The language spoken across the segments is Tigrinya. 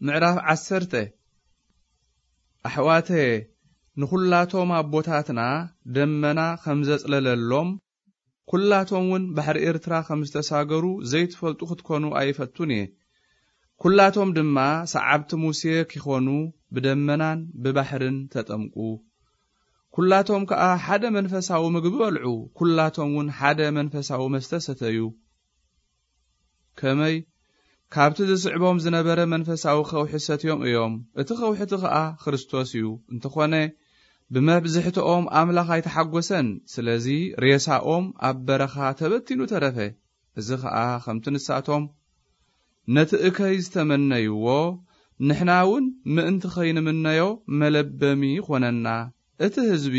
ምዕራፍ ዓሰርተ። ኣሕዋተየ፣ ንኹላቶም ኣቦታትና ደመና ከም ዘጽለለሎም፣ ኩላቶም እውን ባሕሪ ኤርትራ ከም ዝተሳገሩ ዘይትፈልጡ ክትኮኑ ኣይፈቱን እየ። ኩላቶም ድማ ሰዓብቲ ሙሴ ኪኾኑ ብደመናን ብባሕርን ተጠምቁ። ኩላቶም ከኣ ሓደ መንፈሳዊ ምግቢ በልዑ፣ ኩላቶም እውን ሓደ መንፈሳዊ መስተ ሰተዩ። ከመይ፣ ካብቲ ዝስዕቦም ዝነበረ መንፈሳዊ ከውሒ ሰትዮም እዮም። እቲ ከውሒ እቲ ኸኣ ክርስቶስ እዩ። እንተኾነ፣ ብመብዝሕትኦም ኣምላኽ ኣይተሓጎሰን። ስለዚ ሬሳኦም ኣብ በረኻ ተበቲኑ ተረፈ። እዚ ኸኣ ከምቲ ንሳቶም ነቲ እከይ ዝተመነይዎ፣ ንሕና እውን ምእንቲ ኸይንምነዮ መለበሚ ኾነና። እቲ ህዝቢ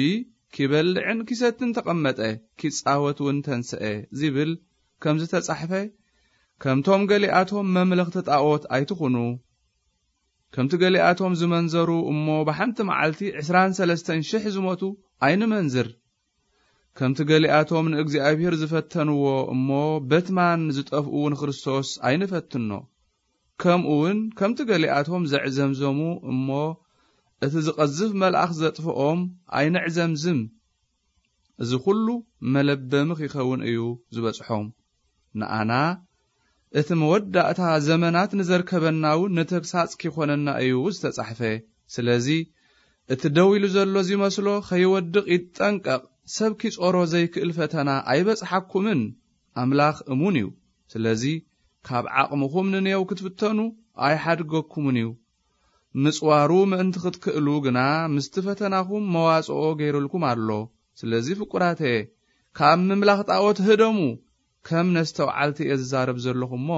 ኪበልዕን ኪሰትን ተቐመጠ፣ ኪጻወት እውን ተንስአ፣ ዚብል ከም ዝተጻሕፈ፣ ከምቶም ገሊኣቶም መምለኽቲ ጣዖት ኣይትኹኑ። ከምቲ ገሊኣቶም ዝመንዘሩ እሞ ብሓንቲ መዓልቲ ዕስራን ሰለስተን ሽሕ ዝሞቱ ኣይንመንዝር። ከምቲ ገሊኣቶም ንእግዚኣብሔር ዝፈተንዎ እሞ በትማን ዝጠፍኡ ንክርስቶስ ኣይንፈትኖ። ከምኡ እውን ከምቲ ገሊኣቶም ዘዕዘምዘሙ እሞ እቲ ዝቐዝፍ መልኣኽ ዘጥፍኦም ኣይነዕዘምዝም። እዚ ኹሉ መለበሚ ኺኸውን እዩ ዝበጽሖም። ንኣና እቲ መወዳእታ ዘመናት ንዘርከበና እውን ንተግሳጽ ኪኾነና እዩ ዝተጻሕፈ። ስለዚ እቲ ደው ኢሉ ዘሎ ዚመስሎ ኸይወድቕ ይጠንቀቕ። ሰብ ኪጾሮ ዘይክእል ፈተና ኣይበጽሓኩምን። ኣምላኽ እሙን እዩ። ስለዚ ካብ ዓቕምኹም ንኔው ክትፍተኑ ኣይሓድገኩምን እዩ። ምጽዋሩ ምእንቲ ክትክእሉ ግና ምስቲ ፈተናኹም መዋጽኦ ገይሩልኩም ኣሎ። ስለዚ ፍቁራተየ፣ ካብ ምምላኽ ጣዖት ህደሙ። ከም ነስተውዓልቲ እየ ዝዛረብ ዘለኹ እሞ፣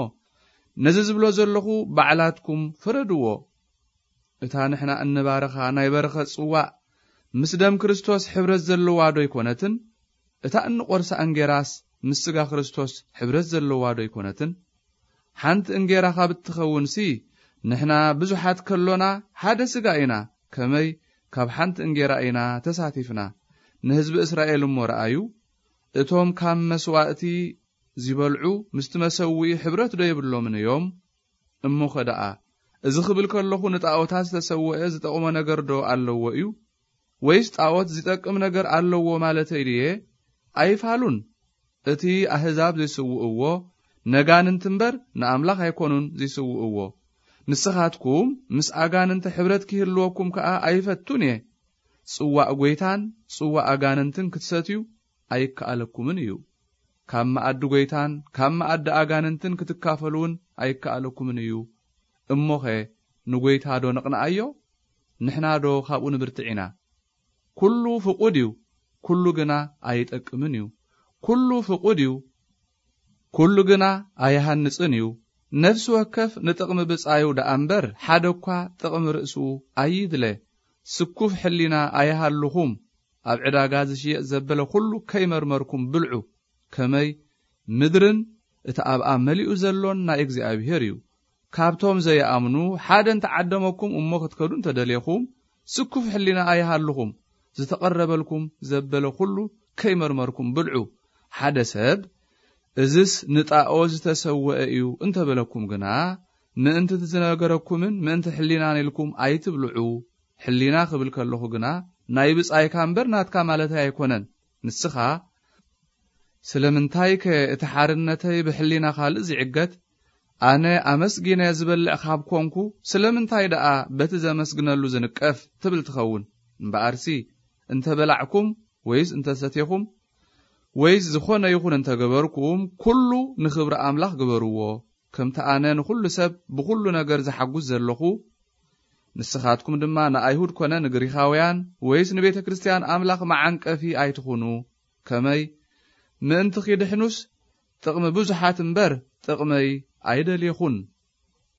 ነዚ ዝብሎ ዘለኹ ባዕላትኩም ፍረድዎ። እታ ንሕና እንባርኻ ናይ በረኸት ጽዋእ ምስ ደም ክርስቶስ ሕብረት ዘለዋ ዶ ኣይኮነትን? እታ እንቖርሳ እንጌራስ ምስ ስጋ ክርስቶስ ሕብረት ዘለዋ ዶ ኣይኮነትን? ሓንቲ እንጌራ ካብ እትኸውንሲ፣ ንሕና ብዙሓት ከሎና ሓደ ስጋ ኢና፣ ከመይ ካብ ሓንቲ እንጌራ ኢና ተሳቲፍና። ንህዝቢ እስራኤል እሞ ረኣዩ፣ እቶም ካብ መስዋእቲ ዚበልዑ ምስቲ መሰውኢ ሕብረት ዶ የብሎምን እዮም? እሞኸ ደኣ፣ እዚ ክብል ከለኹ ንጣዖታት ዝተሰውአ ዝጠቕሞ ነገር ዶ ኣለዎ እዩ? ወይስ ጣዖት ዚጠቅም ነገር ኣለዎ ማለተይ ድየ? ኣይፋሉን። እቲ ኣህዛብ ዚስውእዎ፣ ነጋንንቲ እምበር ንኣምላኽ ኣይኮኑን ዚስውእዎ። ንስኻትኩም ምስ ኣጋንንቲ ሕብረት ኪህልወኩም ከኣ ኣይፈቱን እየ። ጽዋእ ጐይታን ጽዋእ ኣጋንንትን ክትሰትዩ ኣይከኣለኩምን እዩ። ካብ መኣዲ ጐይታን ካብ መኣዲ ኣጋንንትን ክትካፈሉ እውን ኣይከኣለኩምን እዩ። እሞኸ ንጐይታ ዶ ነቕንኣዮ? ንሕና ዶ ካብኡ ንብርትዕ ኢና? ኩሉ ፍቑድ እዩ፣ ኩሉ ግና ኣይጠቅምን እዩ። ኩሉ ፍቑድ እዩ፣ ኩሉ ግና ኣይሃንጽን እዩ። ነፍሲ ወከፍ ንጥቕሚ ብጻዩ ደኣ እምበር፣ ሓደ እኳ ጥቕሚ ርእሱ ኣይድለ። ስኩፍ ሕሊና ኣይሃልኹም፣ ኣብ ዕዳጋ ዝሽየጥ ዘበለ ኩሉ ከይመርመርኩም ብልዑ። ከመይ ምድርን እቲ ኣብኣ መሊኡ ዘሎን ናይ እግዚኣብሔር እዩ። ካብቶም ዘይኣምኑ ሓደ እንተዓደመኩም እሞ ክትከዱ እንተደሌኹም፣ ስኩፍ ሕሊና ኣይሃልኹም። ዝተቐረበልኩም ዘበለ ኩሉ ከይመርመርኩም ብልዑ። ሓደ ሰብ፣ "እዝስ ንጣኦ ዝተሰወአ እዩ" እንተበለኩም ግና፣ ምእንቲ እቲ ዝነገረኩምን ምእንቲ ሕሊናን ኢልኩም ኣይትብልዑ። ሕሊና ክብል ከለኹ ግና፣ ናይ ብጻይካ እምበር ናትካ ማለተይ ኣይኮነን። ንስኻ፣ "ስለምንታይከ እቲ ሓርነተይ ብሕሊና ካልእ ዝዕገት? ኣነ ኣመስጊነ ዝበልዕ ካብ ኮንኩ፣ ስለምንታይ ደኣ በቲ ዘመስግነሉ ዝንቀፍ?" ትብል ትኸውን። እምበኣርሲ፣ እንተ በላዕኩም ወይስ እንተ ሰቴኹም፣ ወይስ ዝኾነ ይኹን እንተ ገበርኩም፣ ኩሉ ንኽብሪ ኣምላኽ ግበርዎ። ከምቲ ኣነ ንኹሉ ሰብ ብኹሉ ነገር ዝሓጉስ ዘለኹ፣ ንስኻትኩም ድማ ንኣይሁድ ኮነ ንግሪኻውያን ወይስ ንቤተ ክርስትያን ኣምላኽ መዓንቀፊ ኣይትኹኑ። ከመይ ምእንቲ ኺድሕኑስ ጥቕሚ ብዙሓት እምበር ጥቕመይ ኣይደልየኹን።